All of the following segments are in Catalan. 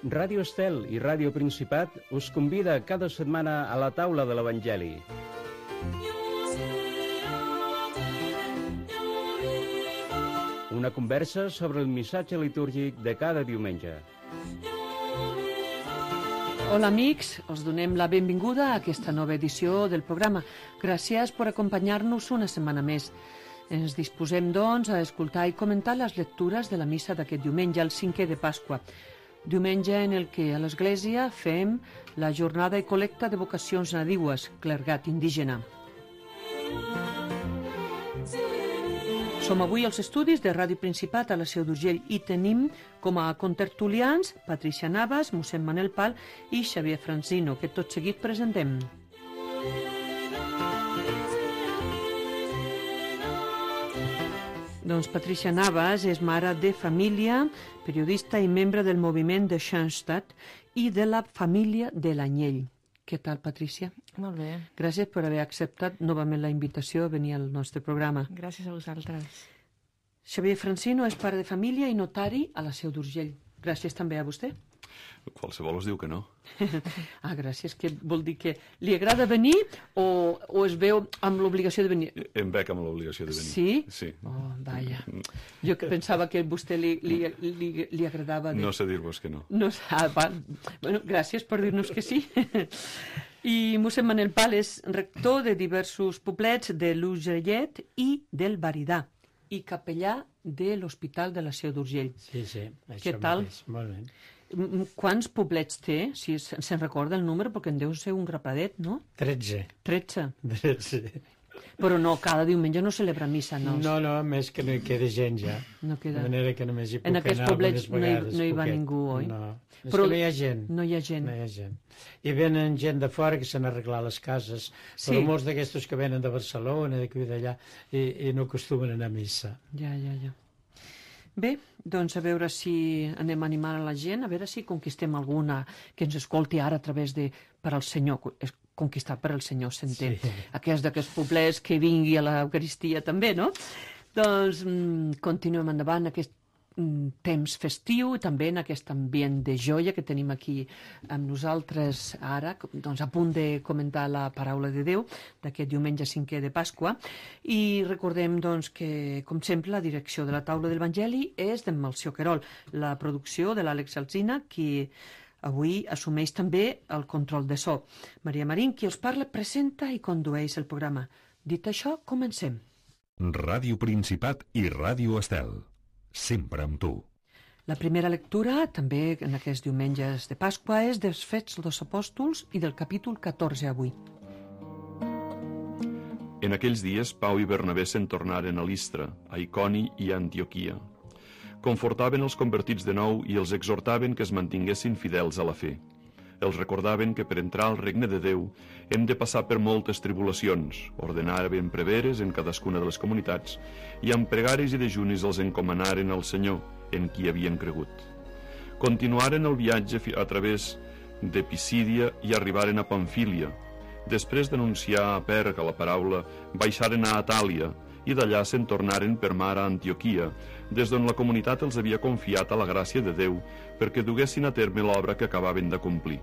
Ràdio Estel i Ràdio Principat us convida cada setmana a la taula de l'Evangeli. Una conversa sobre el missatge litúrgic de cada diumenge. Hola amics, us donem la benvinguda a aquesta nova edició del programa. Gràcies per acompanyar-nos una setmana més. Ens disposem, doncs, a escoltar i comentar les lectures de la missa d'aquest diumenge, el 5è de Pasqua. Diumenge en el que a l'Església fem la jornada i col·lecta de vocacions nadiues, clergat indígena. Som avui als estudis de Ràdio Principat a la Seu d'Urgell i tenim com a contertulians Patricia Navas, mossèn Manel Pal i Xavier Francino, que tot seguit presentem. Doncs Patricia Navas és mare de família, periodista i membre del moviment de Schanstatt i de la família de l'Anyell. Què tal, Patricia? Molt bé. Gràcies per haver acceptat novament la invitació a venir al nostre programa. Gràcies a vosaltres. Xavier Francino és pare de família i notari a la Seu d'Urgell. Gràcies també a vostè. Qualsevol us diu que no. Gràcies, que vol dir que li agrada venir o es veu amb l'obligació de venir? Em veig amb l'obligació de venir. Sí? Sí. Oh, vaja. Jo que pensava que a vostè li agradava... No sé dir-vos que no. No, bueno, gràcies per dir-nos que sí. I mossèn Manel Pal és rector de diversos poblets de l'Urgellet i del Baridà i capellà de l'Hospital de la Seu d'Urgell. Sí, sí. Què tal? Molt bé. Quants poblets té? Si se'n recorda el número, perquè en deu ser un grapadet, no? 13. 13? Però no, cada diumenge no celebra missa, no? No, més que no hi queda gent ja. No queda. De manera que només hi puc en aquests anar poblets algunes vegades. No hi va ningú, oi? No, és però que no hi ha gent. No hi ha gent. No hi ha gent. I venen gent de fora que s'han arreglat les cases, sí. Però molts d'aquestos que venen de Barcelona, d'aquí i d'allà, i no acostumen a anar a missa. Ja. Bé, doncs a veure si anem a animar a la gent, a veure si conquistem alguna que ens escolti ara a través de per al Senyor, conquistar per al Senyor, s'entén. Sí. D'aquests poblets que vingui a l'Eucaristia també, no? Doncs continuem endavant aquest temps festiu i també en aquest ambient de joia que tenim aquí amb nosaltres ara, doncs a punt de comentar la paraula de Déu d'aquest diumenge 5è de Pasqua, i recordem doncs que, com sempre, la direcció de la taula de l'Evangeli és d'en Melcior Querol, la producció de l'Àlex Alsina, qui avui assumeix també el control de so. Maria Marín, qui us parla, presenta i condueix el programa. Dit això, comencem. Ràdio Principat i Ràdio Estel. Sempre amb tu. La primera lectura, també en aquests diumenges de Pasqua, és dels Fets dels Apòstols i del capítol 14 avui. En aquells dies, Pau i Bernabé se'n tornaren a Listra, a Iconi i a Antioquia. Confortaven els convertits de nou i els exhortaven que es mantinguessin fidels a la fe. Els recordaven que per entrar al regne de Déu hem de passar per moltes tribulacions, ordenaven preveres en cadascuna de les comunitats i amb pregaris i dejunis els encomanaren al Senyor, en qui havien cregut. Continuaren el viatge a través de Pisídia i arribaren a Pamfília. Després d'anunciar a Perga la paraula, baixaren a Atàlia i d'allà se'n tornaren per mar a Antioquia, des d'on la comunitat els havia confiat a la gràcia de Déu perquè duguessin a terme l'obra que acabaven de complir.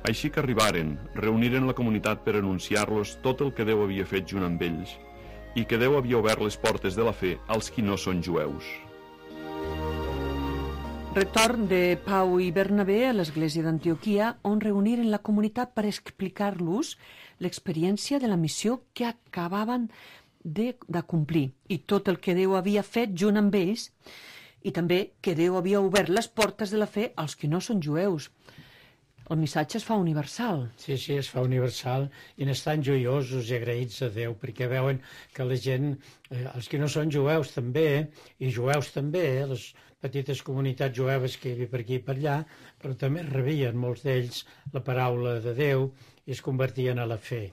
Així que arribaren, reuniren la comunitat per anunciar-los tot el que Déu havia fet junt amb ells i que Déu havia obert les portes de la fe als qui no són jueus. Retorn de Pau i Bernabé a l'església d'Antioquia, on reuniren la comunitat per explicar-los l'experiència de la missió que acabaven de complir i tot el que Déu havia fet junt amb ells i també que Déu havia obert les portes de la fe als que no són jueus. El missatge es fa universal. Sí, es fa universal i n'estan joiosos i agraïts a Déu perquè veuen que la gent, els que no són jueus també, i jueus també, les petites comunitats jueves que hi havia per aquí i per allà, però també rebien molts d'ells la paraula de Déu i es convertien a la fe.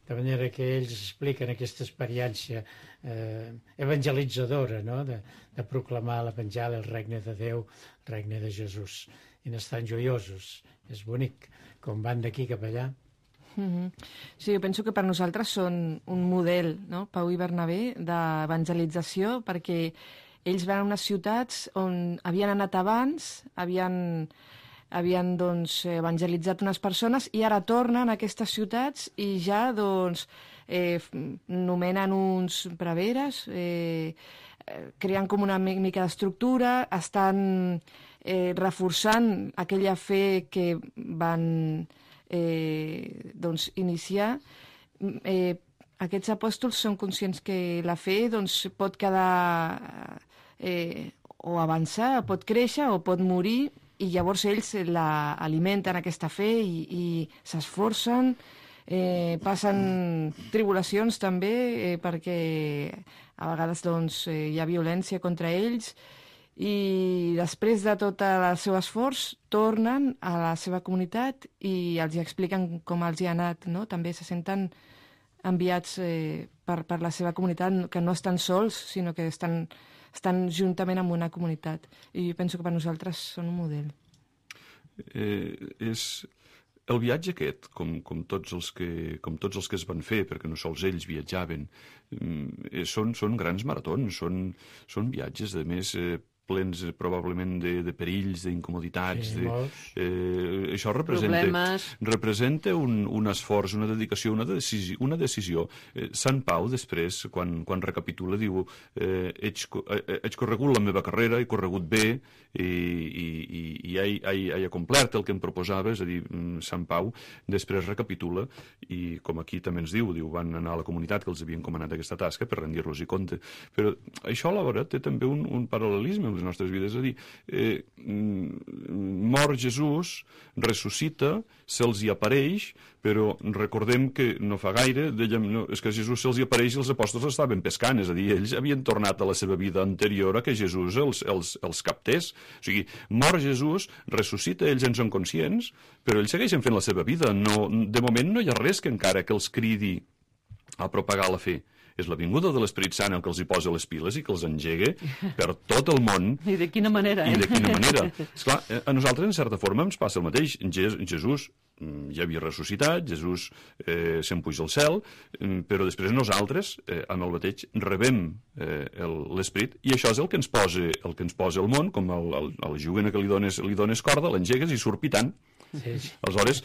De manera que ells expliquen aquesta experiència evangelitzadora, no? de proclamar l'Evangeli, el regne de Déu, el regne de Jesús. I n'estan joiosos. És bonic, com van d'aquí cap allà. Sí, jo penso que per nosaltres són un model, no? Pau i Bernabé, d'evangelització, perquè ells van a unes ciutats on havien anat abans, havien havien doncs, evangelitzat unes persones i ara tornen a aquestes ciutats i ja doncs, nomenen uns preveres, creen com una mica d'estructura, estan reforçant aquella fe que van doncs, iniciar. Aquests apòstols són conscients que la fe doncs, pot quedar o avançar, pot créixer o pot morir, i llavors ells alimenten aquesta fe i s'esforcen, passen tribulacions també, perquè a vegades doncs, hi ha violència contra ells, i després de tot el seu esforç tornen a la seva comunitat i els expliquen com els hi ha anat, no? També se senten enviats per la seva comunitat, que no estan sols, sinó que estan juntament amb una comunitat. I penso que per nosaltres són un model. El viatge aquest, com tots els que es van fer, perquè no sols ells viatjaven, són grans maratons, són viatges, a més, plens probablement de perills, d'incomoditats. Sí, això representa un esforç, una dedicació, una decisió. Sant Pau, després, quan recapitula, diu «Heig corregut la meva carrera, he corregut bé i he complert el que em proposava», és a dir, Sant Pau després recapitula i, com aquí també ens diu, van anar a la comunitat que els havia encomanat aquesta tasca per rendir-los-hi compte. Però això alhora té també un paral·lelisme les nostres vides, és a dir, mor Jesús, ressuscita, se'ls hi apareix, però recordem que no fa gaire, és que Jesús se'ls hi apareix i els apòstols estaven pescant, és a dir, ells havien tornat a la seva vida anterior a que Jesús els captés. O sigui, mor Jesús, ressuscita, ells en són conscients, però ells segueixen fent la seva vida. De moment no hi ha res que encara que els cridi a propagar la fe. És la vinguda de l'Esperit Sant el que els hi posa les piles i que els engega per tot el món. I de quina manera, I de quina manera. Esclar, a nosaltres, en certa forma, ens passa el mateix. Jesús ja havia ressuscitat, Jesús se'n puja al cel, però després nosaltres, amb el bateig, rebem l'Esperit, i això és el que ens posa al món, com al jovent que li dones corda, l'engegues i surt pitant. Sí. Aleshores,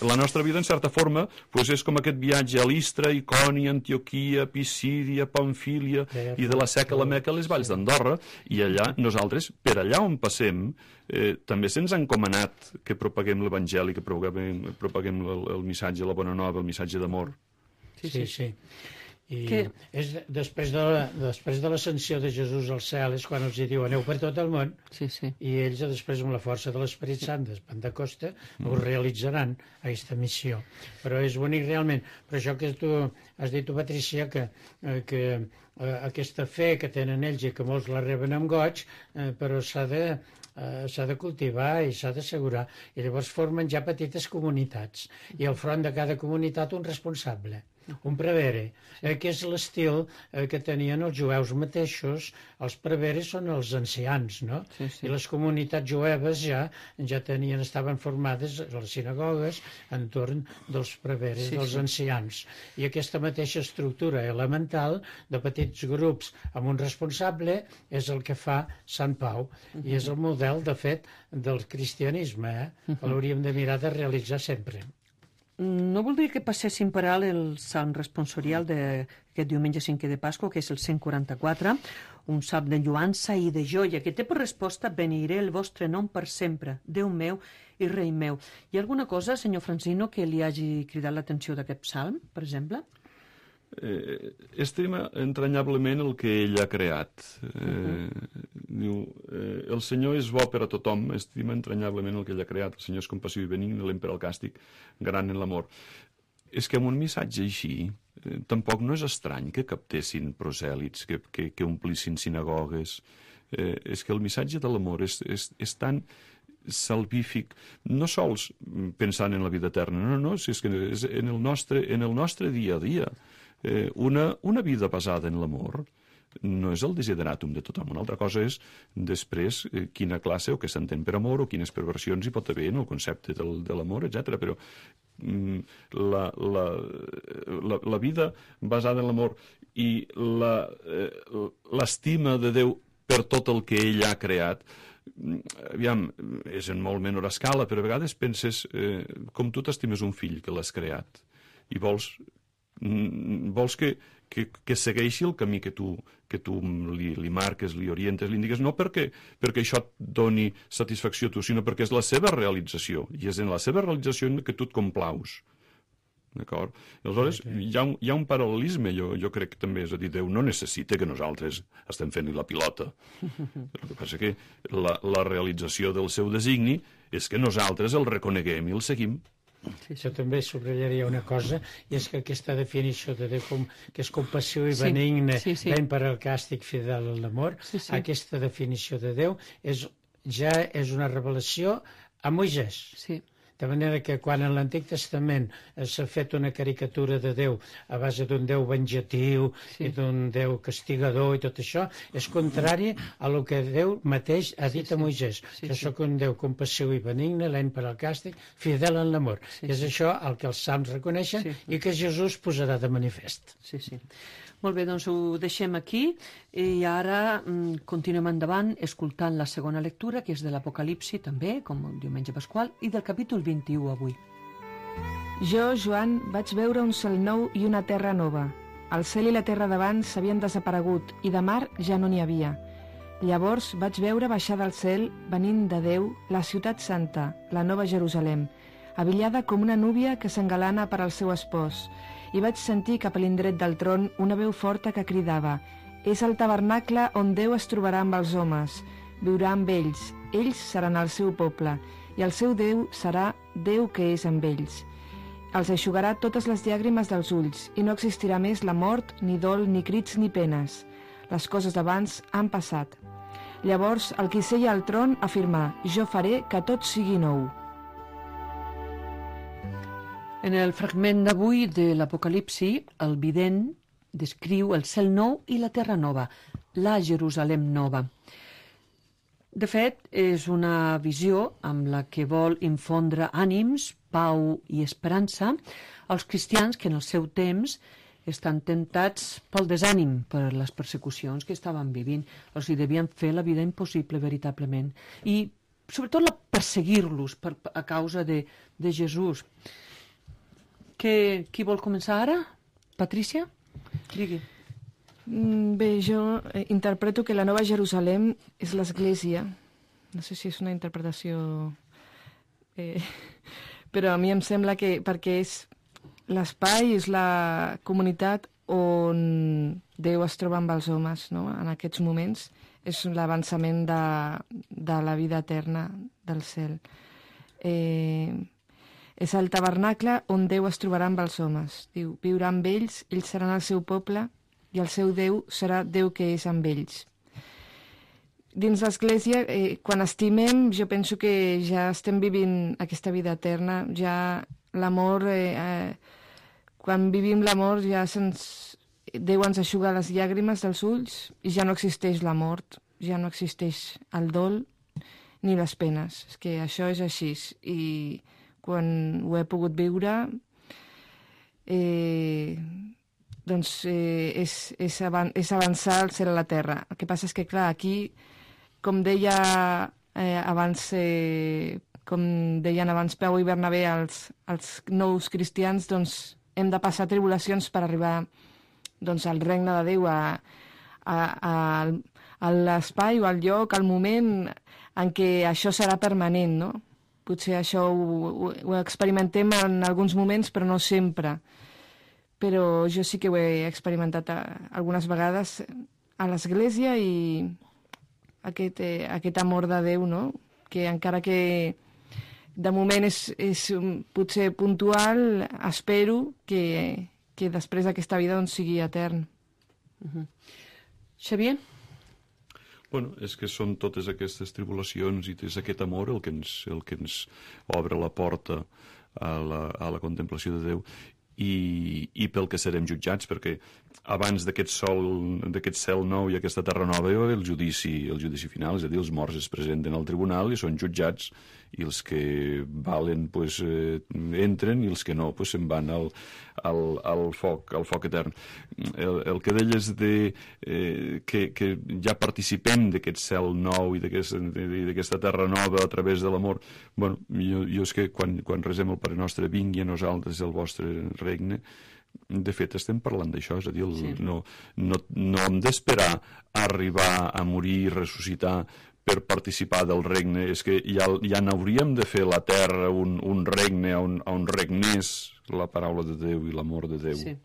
la nostra vida, en certa forma, és com aquest viatge a Listra, Icònia, Antioquia, Pisídia, Pamfília, i de la Seca a la Meca a les valls d'Andorra, i allà nosaltres, per allà on passem, també se'ns ha encomanat que propaguem l'Evangeli, que propaguem el missatge, la bona nova, el missatge d'amor. Sí. I després de l'ascensió de Jesús al cel és quan els diu aneu per tot el món, i ells després amb la força de l'Esperit Sant de Pentecosta ho realitzaran, aquesta missió. Però és bonic realment. Per això que tu has dit, Patricia, que aquesta fe que tenen ells i que molts la reben amb goig, però s'ha de cultivar i s'ha d'assegurar. I llavors formen ja petites comunitats. I al front de cada comunitat un responsable, un prevere, que és l'estil que tenien els jueus mateixos. Els preveres són els ancians, no? I les comunitats jueves ja estaven formades a les sinagogues entorn dels preveres, dels ancians. I aquesta mateixa estructura elemental de petits grups amb un responsable és el que fa Sant Pau, i és el model, de fet, del cristianisme, que l'hauríem de mirar de realitzar sempre. No voldria que passéssim per alt el salm responsorial d'aquest diumenge 5è de Pasqua, que és el 144, un salm de lluança i de joia, que té per resposta «Beniré el vostre nom per sempre, Déu meu i Rei meu». Hi ha alguna cosa, senyor Francino, que li hagi cridat l'atenció d'aquest salm, per exemple? Estima entranyablement el que ell ha creat. Diu, el Senyor és bo per a tothom, estima entranyablement el que ell ha creat. El Senyor és compassiu i benigne, lent per al càstig, gran en l'amor. És que amb un missatge així, tampoc no és estrany que captessin prosèlits, que omplissin sinagogues. És que el missatge de l'amor és tan salvífic, no sols pensant en la vida eterna, no, és que és en el nostre dia a dia. Una vida basada en l'amor no és el desideratum de tothom. Una altra cosa és, després, quina classe o què s'entén per amor o quines perversions hi pot haver en el concepte de l'amor, etc. Però la vida basada en l'amor i l'estima de Déu per tot el que ell ha creat aviam, és en molt menor escala, però a vegades penses com tu t'estimes un fill que l'has creat i vols que segueixi el camí que tu li marques, li orientes, li indiques, no perquè això et doni satisfacció a tu, sinó perquè és la seva realització, i és en la seva realització en què tu et complaus. D'acord? Aleshores, hi ha un paral·lelisme, jo crec que també, és a dir, Déu no necessita que nosaltres estem fent-li la pilota. El que passa que la realització del seu designi és que nosaltres el reconeguem i el seguim. Jo també subratllaria una cosa, i és que aquesta definició de Déu que és compassiu i benigne, lent per al càstig, fidel a l'amor, aquesta definició de Déu ja és una revelació a Moisès. Sí. De manera que quan en l'Antic Testament s'ha fet una caricatura de Déu a base d'un Déu venjatiu i d'un Déu castigador i tot això, és contrari a el que Déu mateix ha dit a Moisès. Jo sóc un Déu compassiu i benigne, lent per al càstig, fidel en l'amor. És això el que els salms reconeixen i que Jesús posarà de manifest. Sí. Molt bé, doncs ho deixem aquí i ara continuem endavant escoltant la segona lectura, que és de l'Apocalipsi també, com el diumenge pasqual, i del capítol 21 avui. Jo, Joan, vaig veure un cel nou i una terra nova. El cel i la terra d'abans s'havien desaparegut i de mar ja no n'hi havia. Llavors vaig veure baixar del cel, venint de Déu, la ciutat santa, la nova Jerusalem, abillada com una núvia que s'engalana per al seu espòs, i vaig sentir cap a l'indret del tron una veu forta que cridava: «És el tabernacle on Déu es trobarà amb els homes, viurà amb ells seran el seu poble, i el seu Déu serà Déu que és amb ells. Els eixugarà totes les llàgrimes dels ulls, i no existirà més la mort, ni dol, ni crits, ni penes. Les coses d'abans han passat». Llavors el qui seia al tron afirmà: «Jo faré que tot sigui nou». En el fragment d'avui de l'Apocalipsi, el vident descriu el cel nou i la terra nova, la Jerusalem nova. De fet, és una visió amb la que vol infondre ànims, pau i esperança als cristians que en el seu temps estan tentats pel desànim, per les persecucions que estaven vivint. Els hi devien fer la vida impossible, veritablement. I, sobretot, perseguir-los a causa de Jesús. Qui vol començar ara? Patrícia? Digui. Bé, jo interpreto que la Nova Jerusalem és l'Església. No sé si és una interpretació... però a mi em sembla que perquè és l'espai, és la comunitat on Déu es troba amb els homes, no? En aquests moments és l'avançament de la vida eterna del cel. És el tabernacle on Déu es trobarà amb els homes. Diu, viurà amb ells seran el seu poble, i el seu Déu serà Déu que és amb ells. Dins l'Església, quan estimem, jo penso que ja estem vivint aquesta vida eterna, ja l'amor, quan vivim l'amor, ja Déu ens eixuga les llàgrimes dels ulls i ja no existeix la mort, ja no existeix el dol ni les penes. És que això és així, i quan ho he pogut viure, doncs és avançar al cel a la terra. El que passa és que, clar, aquí, com deia abans, com deien abans Peu i Bernabé, els nous cristians, doncs hem de passar tribulacions per arribar doncs, al regne de Déu, a l'espai o al lloc, al moment en què això serà permanent, no? Potser això ho experimentem en alguns moments, però no sempre. Però jo sí que ho he experimentat algunes vegades a l'Església, i aquest amor de Déu, no? Que encara que de moment és potser puntual, espero que després d'aquesta vida doncs, sigui etern. Xavier? Bueno, és que són totes aquestes tribulacions i és aquest amor el que ens obre la porta a la contemplació de Déu i pel que serem jutjats, perquè abans d'aquest cel nou i aquesta terra nova hi va haver el judici final, és a dir, els morts es presenten al tribunal i són jutjats, i els que valen pues, entren, i els que no pues, se'n van al foc etern. El que deies que ja participem d'aquest cel nou i d'aquesta terra nova a través de l'amor, bueno, jo és que quan resem el Pare Nostre, vingui a nosaltres el vostre regne, de fet estem parlant d'això, és a dir, no hem d'esperar a arribar a morir i ressuscitar per participar del regne, és que ja n'hauríem de fer la terra un regne on regnés la paraula de Déu i l'amor de Déu. Sí.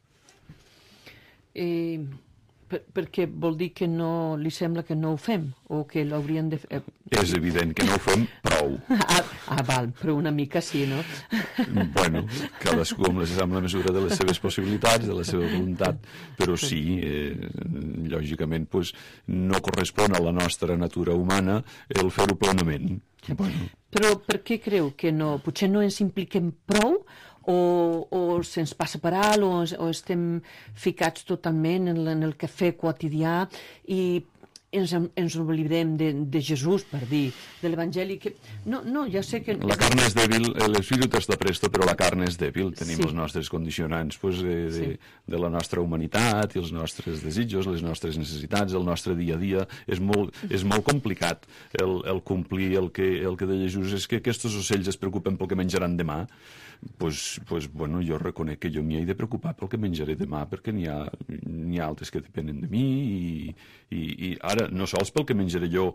Perquè vol dir que no li sembla que no ho fem, o que l'hauríem de fer... És evident que no ho fem prou. Val, però una mica sí, no? Bueno, cadascú amb la mesura de les seves possibilitats, de la seva voluntat, però sí, lògicament, pues, no correspon a la nostra natura humana el fer-ho plenament. Bueno. Però per què creu que no? Potser no ens impliquem prou, o se'ns passa per alt, o estem ficats totalment en el cafè quotidià i ens oblidem de Jesús, per dir, de l'Evangeli, que... No, ja sé que... La carne és dèbil, l'espírit està presto, però la carne és dèbil. Tenim els nostres condicionants pues, de la nostra humanitat i els nostres desitjos, les nostres necessitats, el nostre dia a dia. És molt complicat el complir el que deia Jesús, és que aquests ocells es preocupen pel que menjaran demà. Pues, bueno, jo reconec que jo m'hi he de preocupar pel que menjaré demà, perquè n'hi ha altres que depenen de mi, i ara no sols pel que menjaré jo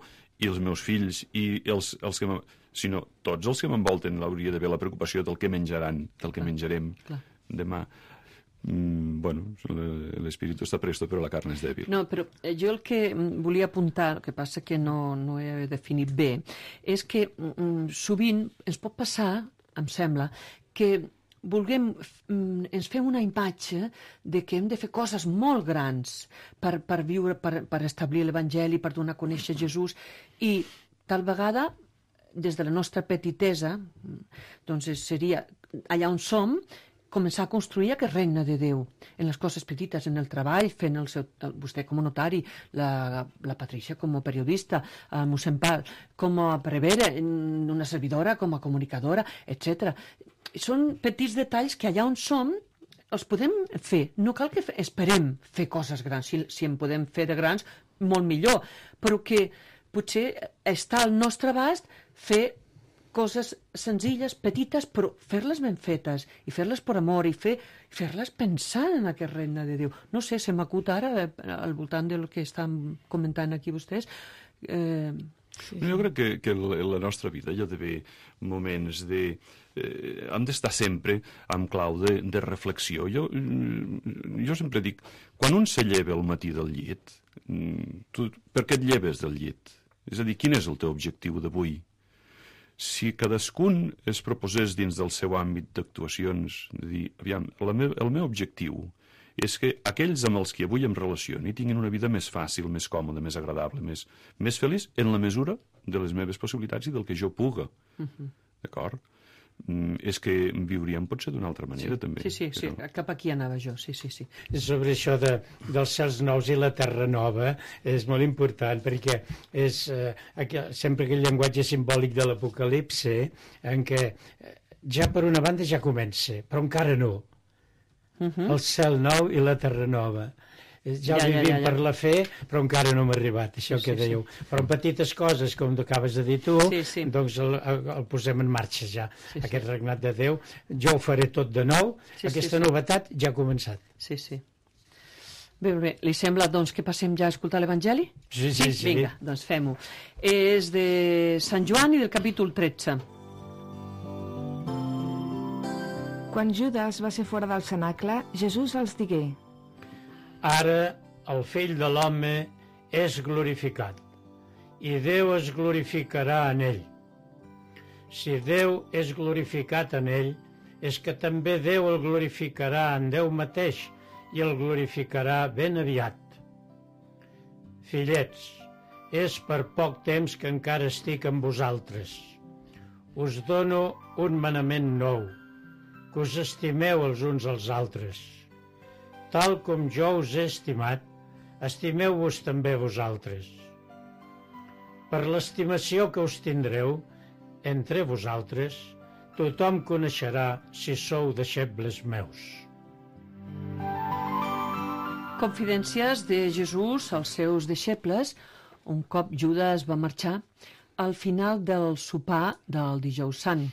i els meus fills, i els que sinó tots els que m'envolten hauria d'haver la preocupació del que menjaran, del que menjarem demà. Bueno, l'espírit està presto, però la carn és dèbil. No, però jo el que volia apuntar, el que passa que no he definit bé, és que sovint ens pot passar, em sembla, que ens fem una imatge de que hem de fer coses molt grans per viure, per establir l'Evangeli, per donar a conèixer Jesús, i tal vegada, des de la nostra petitesa, doncs seria allà on som, començar a construir aquest regne de Déu, en les coses petites, en el treball, fent vostè com a notari, la Patricia com a periodista, el mossèn Pal com a prevere, una servidora com a comunicadora, etc. Són petits detalls que allà on som els podem fer. No cal que esperem fer coses grans. Si en podem fer de grans, molt millor. Però que potser està al nostre abast fer coses senzilles, petites, però fer-les ben fetes, i fer-les per amor, i fer-les pensant en aquest regne de Déu. No sé, se m'acut ara, al voltant del que estan comentant aquí vostès. Jo crec que la nostra vida hi ha d'haver moments hem d'estar sempre amb clau de reflexió. Jo sempre dic, quan un se lleva al matí del llit, tu per què et lleves del llit? És a dir, quin és el teu objectiu d'avui? Si cadascun es proposés dins del seu àmbit d'actuacions, de dir, aviam, el meu objectiu és que aquells amb els que avui em relaciono tinguin una vida més fàcil, més còmoda, més agradable, més feliç, en la mesura de les meves possibilitats i del que jo puga. D'acord? És que viuríem potser d'una altra manera, també. Sí, cap aquí anava jo, sí. Sobre això dels cels nous i la terra nova és molt important, perquè és sempre aquell llenguatge simbòlic de l'Apocalipse en què ja per una banda ja comença, però encara no. El cel nou i la terra nova. Ja ho vivim per la fe, però encara no m'ha arribat, això que dèieu. Però en petites coses, com acabes de dir tu, doncs el posem en marxa ja, aquest regnat de Déu. Jo ho faré tot de nou, aquesta novetat ja ha començat. Sí. Bé, li sembla doncs que passem ja a escoltar l'Evangeli? Sí. Vinga, doncs fem-ho. És de Sant Joan i del capítol 13. Quan Judes va ser fora del cenacle, Jesús els digué: Ara el fill de l'home és glorificat, i Déu es glorificarà en ell. Si Déu és glorificat en ell, és que també Déu el glorificarà en Déu mateix i el glorificarà ben aviat. Fillets, és per poc temps que encara estic amb vosaltres. Us dono un manament nou, que us estimeu els uns als altres. tal com jo us he estimat, estimeu-vos també vosaltres. Per l'estimació que us tindreu entre vosaltres, tothom coneixerà si sou deixebles meus. Confidències de Jesús als seus deixebles, un cop Judas va marxar, al final del sopar del Dijous Sant.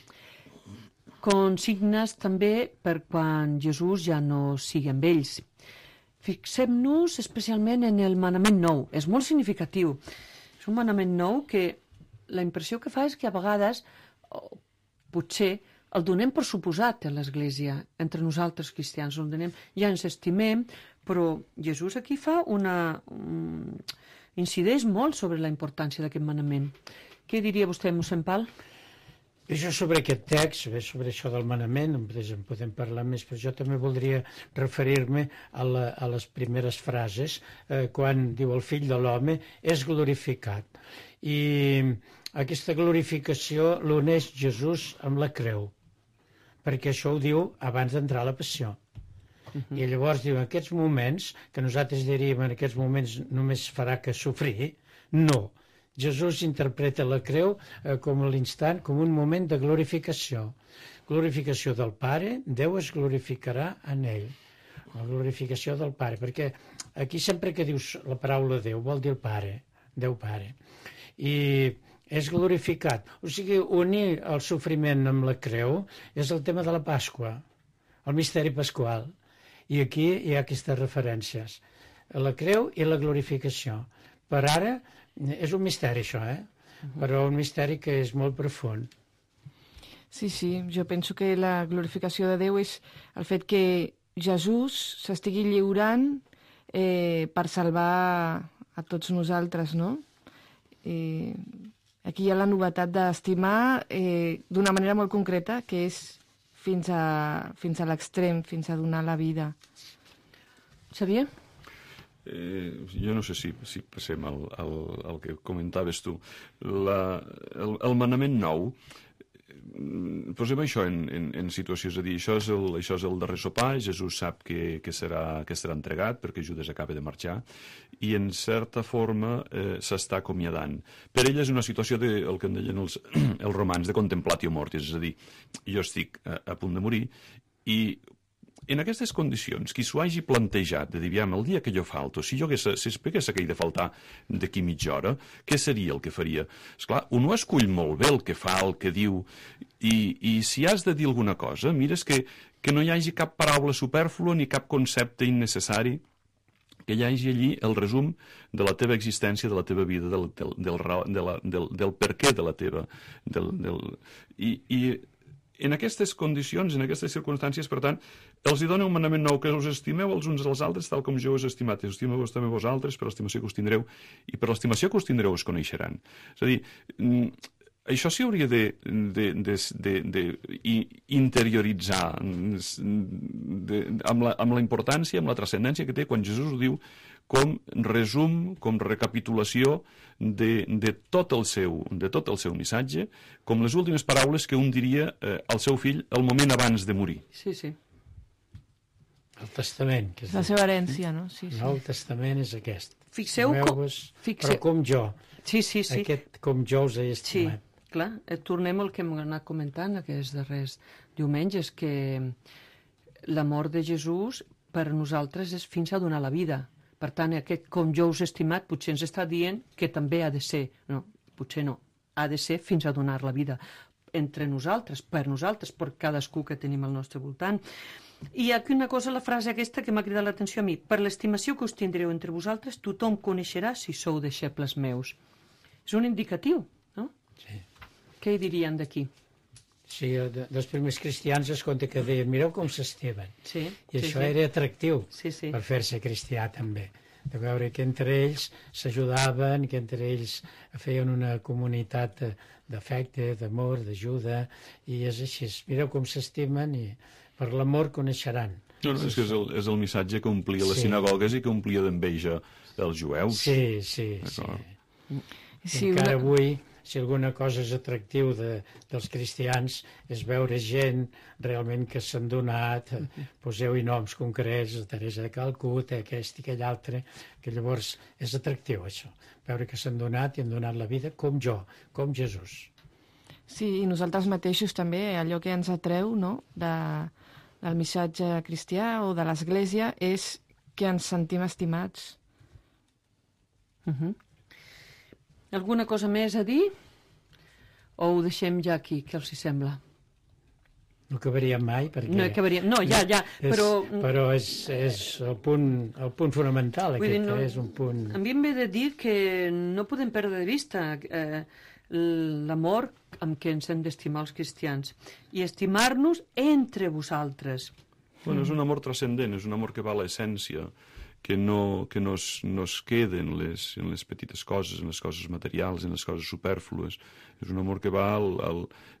Consignes també per quan Jesús ja no sigui amb ells. Fixem-nos especialment en el manament nou. És molt significatiu. És un manament nou que la impressió que fa és que a vegades, potser, el donem per suposat a l'Església, entre nosaltres cristians, el donem, ja ens estimem, però Jesús aquí fa incideix molt sobre la importància d'aquest manament. Què diria vostè, mossèn Pal? Això sobre aquest text, sobre això del manament, en podem parlar més, però jo també voldria referir-me a les primeres frases, quan diu el fill de l'home és glorificat. I aquesta glorificació l'uneix Jesús amb la creu, perquè això ho diu abans d'entrar a la passió. I llavors diu, en aquests moments, que nosaltres diríem en aquests moments només farà que sofrir, no. Jesús interpreta la creu com l'instant, com un moment de glorificació. Glorificació del Pare, Déu es glorificarà en ell. La glorificació del Pare, perquè aquí sempre que dius la paraula Déu vol dir el Pare, Déu Pare. I és glorificat. O sigui, unir el sofriment amb la creu és el tema de la Pasqua, el misteri pasqual. I aquí hi ha aquestes referències, la creu i la glorificació. Per ara és un misteri això, però un misteri que és molt profund. Sí, jo penso que la glorificació de Déu és el fet que Jesús s'estigui lliurant per salvar a tots nosaltres, no? Aquí hi ha la novetat d'estimar d'una manera molt concreta, que és fins a l'extrem, fins a donar la vida. Xavier? Jo no sé si passem al que comentaves tu. El manament nou, posem això en situació, és a dir, això és el darrer sopar, Jesús sap que serà entregat perquè Judas acaba de marxar i en certa forma s'està acomiadant. Per ell és una situació el que en deien els romans de contemplatio mortis, és a dir, jo estic a punt de morir i en aquestes condicions, qui s'ho hagi plantejat de dir, aviam, el dia que jo falto, si hagués aquell de faltar d'aquí mitja hora, què seria el que faria? Esclar, un ho escull molt bé el que fa, el que diu, i si has de dir alguna cosa, mires que no hi hagi cap paraula supèrflua ni cap concepte innecessari, que hi hagi allí el resum de la teva existència, de la teva vida, del per què de la teva... I en aquestes condicions, en aquestes circumstàncies, per tant, els hi dona un manament nou, que us estimeu els uns als altres tal com jo us he estimat. Estimeu-vos també vosaltres per l'estimació que us tindreu, i per l'estimació que us tindreu us coneixeran. És a dir, això s'hi hauria d'interioritzar amb la importància, amb la transcendència que té quan Jesús ho diu com resum, com recapitulació de tot el seu missatge, com les últimes paraules que un diria al seu fill el moment abans de morir. Sí. El testament. Que és la seva herència, no? Sí. El Nou Testament és aquest. Fixeu... Però com jo. Sí. Aquest com jo us he estimat. Sí, clar. Tornem al que hem anat comentant aquests darrers diumenges, que la mort de Jesús per a nosaltres és fins a donar la vida. Per tant, aquest com jo us he estimat potser ens està dient que també ha de ser, no, potser no, ha de ser fins a donar la vida entre nosaltres, per cadascú que tenim al nostre voltant. I aquí una cosa, la frase aquesta que m'ha cridat l'atenció a mi, per l'estimació que us tindreu entre vosaltres, tothom coneixerà si sou deixebles meus. És un indicatiu, no? Sí. Què hi dirien d'aquí? Sí, dels primers cristians es conta que deien, mireu com s'estimen. Sí, I això era atractiu per fer-se cristià també. De veure que entre ells s'ajudaven, que entre ells feien una comunitat d'afecte, d'amor, d'ajuda, i és així. Mireu com s'estimen i per l'amor coneixeran. No, és que és el missatge que omplia les sinagogues i que omplia d'enveja els jueus. Sí. Encara avui si alguna cosa és atractiu dels cristians és veure gent realment que s'han donat, poseu-hi noms concrets, Teresa de Calcuta, aquest i aquell altre, que llavors és atractiu això, veure que s'han donat i han donat la vida com jo, com Jesús. Sí, i nosaltres mateixos també, allò que ens atreu, no?, del missatge cristià o de l'Església és que ens sentim estimats. Alguna cosa més a dir? O ho deixem ja aquí, què els hi sembla? No acabaríem mai, perquè... No acabaríem, no, ja, però... Però és el punt fonamental, aquest, és un punt... A mi em ve de dir que no podem perdre de vista l'amor amb què ens hem d'estimar els cristians i estimar-nos entre vosaltres. Bueno, és un amor transcendent, és un amor que va a l'essència, que no es queda en les petites coses, en les coses materials, en les coses supèrflues. És un amor que va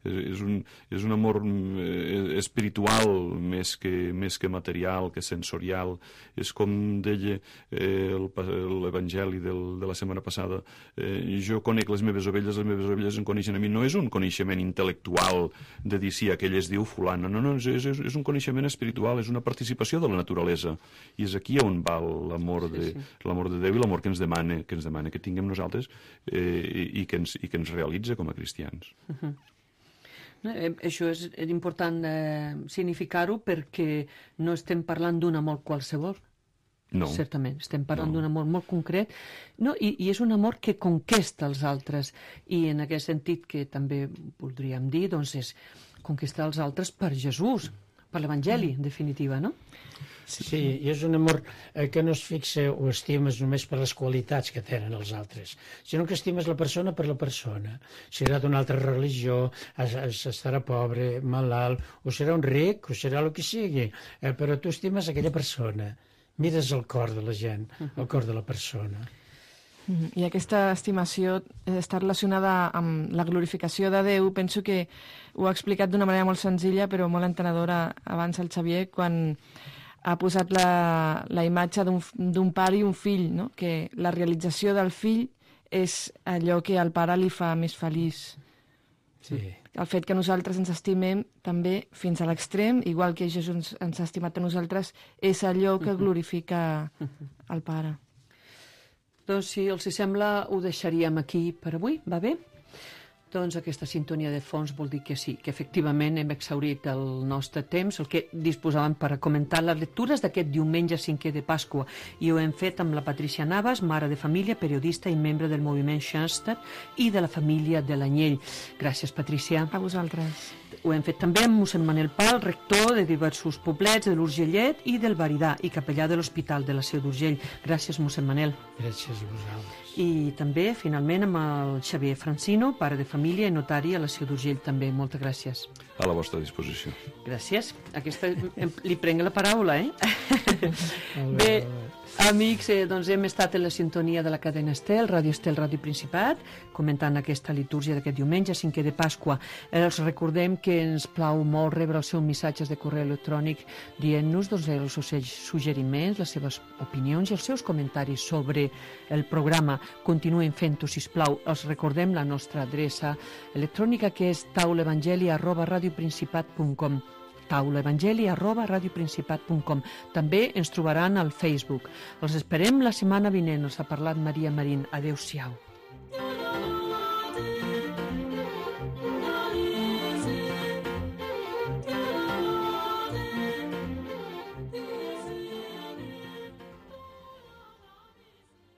és un amor espiritual més que material, que sensorial. És com deia l'Evangeli de la setmana passada, jo conec les meves ovelles em coneixen a mi. No és un coneixement intel·lectual de dir sí, aquell es diu fulana. No, és un coneixement espiritual, és una participació de la naturalesa. I és aquí on va l'amor de Déu i l'amor que ens demana que tinguem nosaltres i que ens realitza com a cristians. Això és important significar-ho perquè no estem parlant d'un amor qualsevol. No. Certament, estem parlant d'un amor molt concret, no? I és un amor que conquesta els altres, i en aquest sentit que també voldríem dir, doncs és conquistar els altres per Jesús, per l'Evangeli, en definitiva, no? Sí, i és un amor que no es fixa o estimes només per les qualitats que tenen els altres, sinó que estimes la persona per la persona. Serà d'una altra religió, estarà pobre, malalt, o serà un ric, o serà el que sigui, però tu estimes aquella persona. Mires el cor de la gent, el cor de la persona. I aquesta estimació està relacionada amb la glorificació de Déu. Penso que ho ha explicat d'una manera molt senzilla però molt entenedora abans el Xavier quan ha posat la imatge d'un pare i un fill, no? Que la realització del fill és allò que al pare li fa més feliç. Sí. El fet que nosaltres ens estimem també fins a l'extrem, igual que Jesús ens ha estimat a nosaltres, és allò que glorifica el pare. Doncs si els sembla ho deixaríem aquí per avui, va bé? Doncs aquesta sintonia de fons vol dir que sí, que efectivament hem exhaurit el nostre temps, el que disposàvem per comentar les lectures d'aquest diumenge 5è de Pasqua, i ho hem fet amb la Patricia Navas, mare de família, periodista i membre del moviment Xanster i de la família de l'Anyell. Gràcies, Patricia. A vosaltres. Ho hem fet també amb mossèn Manel Pal, rector de diversos poblets de l'Urgellet i del Baridà i capellà de l'Hospital de la Seu d'Urgell. Gràcies, mossèn Manel. Gràcies a vosaltres. I també, finalment, amb el Xavier Francino, pare de família i notari a la Seu d'Urgell, també. Moltes gràcies. A la vostra disposició. Gràcies. Aquesta li prenc la paraula, Bé, amics, doncs hem estat en la sintonia de la cadena Estel, Ràdio Principat, comentant aquesta litúrgia d'aquest diumenge, 5è de Pasqua. Els recordem que ens plau molt rebre els seus missatges de correu electrònic dient-nos els seus suggeriments, les seves opinions i els seus comentaris sobre el programa. Continuem fent-ho, sisplau. Els recordem la nostra adreça electrònica, que és taulaevangeli@radioprincipat.com, taulaevangeli@radioprincipat.com. També ens trobaran al Facebook. Els esperem la setmana vinent. Els ha parlat Maria Marín. Adéu-siau.